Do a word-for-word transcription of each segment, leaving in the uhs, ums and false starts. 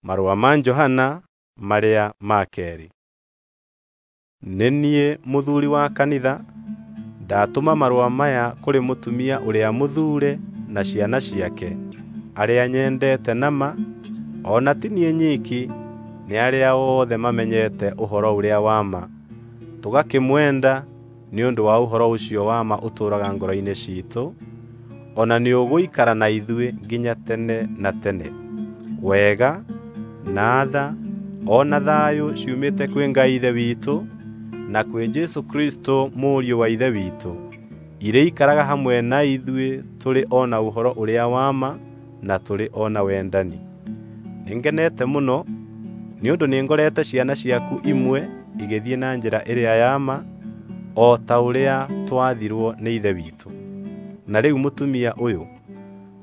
Marũa ma Johana marĩa ma keerĩ. Nĩ niĩ mũthuuri wa kanitha, ndatũma marũa maya kũrĩ mũtumia ũrĩa mũthuure na ciana ciake, arĩa nyendete na ma, o na ti niĩ nyiki, nĩ arĩa othe mamenyete ũhoro ũrĩa wa ma, tũgakĩmwenda nĩ ũndũ wa ũhoro ũcio wa ma ũtũũraga ngoro-inĩ ciitũ, o na nĩũgũikara na ithuĩ nginya tene na tene. Wega, na tha, o na thayũ ciumĩte kwĩ Ngai Ithe witũ na kwĩ Jesũ Kristũ Mũriũ wa Ithe witũ, irĩikaraga hamwe na ithuĩ tũrĩ o na ũhoro ũrĩa wa ma na tũrĩ o na wendani. Nĩngenete mũno nĩ ũndũ nĩngorete ciana ciaku imwe igĩthiĩ na njĩra ĩrĩa ya ma, o ta ũrĩa twathirwo nĩ Ithe witũ. Na rĩu mũtumia ũyũ,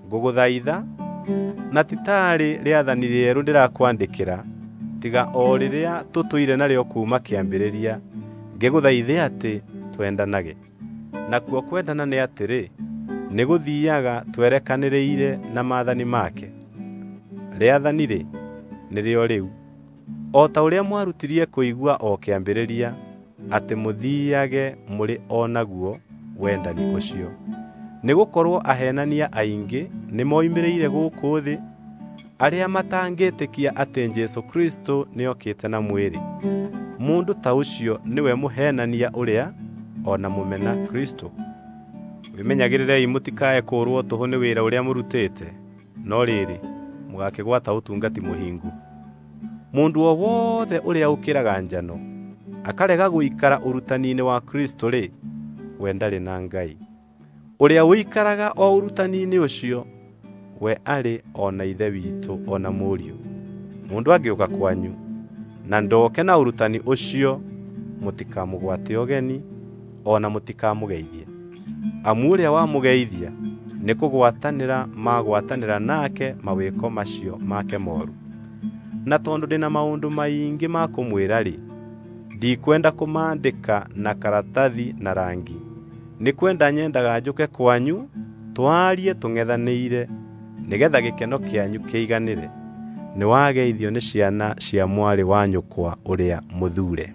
ngũgũthaitha na ti taarĩ rĩathani rĩerũ ndĩrakwandĩkĩra, tiga o rĩrĩa tũtũire narĩo kuuma kĩambĩrĩria, ngĩgũthaithe atĩ twendanage. Nakuo kwendana nĩ atĩrĩ, nĩgũthiiaga twerekanĩrĩire na maathani make. Rĩathani-rĩ, nĩrĩo rĩu, o ta ũrĩa mwarutirie kũigua o kĩambĩrĩria, atĩ mũthiiage mũrĩ o naguo wendani ũcio. Nĩgũkorwo aheenania aingĩ nĩmoimĩrĩire gũkũ thĩ, arĩa matangĩtĩkia atĩ Jesũ Kristũ nĩokĩte na mwĩrĩ. Mũndũ ta ũcio nĩwe mũheenania ũrĩa o na mũmena Kristũ. Wĩmenyagĩrĩrei mũtikae kũũrwo tũhũ nĩ wĩra ũrĩa mũrutĩte, no rĩrĩ, mũgakĩgwata ũtungati mũhingu. Mũndũ o wothe ũrĩa ũkĩraga njano, akarega gũikara ũrutani-inĩ wa Kristũ-rĩ, we ndarĩ na Ngai. Ũrĩa ũikaraga o ũrutani-inĩ ũcio, we arĩ o na Ithe witũ o na Mũriũ. Mũndũ angĩũka kwanyu na ndoke na ũrutani ũcio, mũtikamũgwate ũgeni o na mũtikamũgeithie. Amu ũrĩa wamũgeithia nĩkũgwatanĩra magwatanĩra nake mawĩko macio make mooru. Na tondũ ndĩna maũndũ maingĩ ma kũmwĩra-rĩ, ndikwenda kũmaandĩka na karatathi na rangi. Nĩ kwenda nyendaga njũke kwanyu twarie tũng'ethanĩire nĩgetha gĩkeno kĩanyu kĩiganĩre. Nĩwageithio nĩ ciana cia mwarĩ wa nyũkwa ũrĩa mũthuure.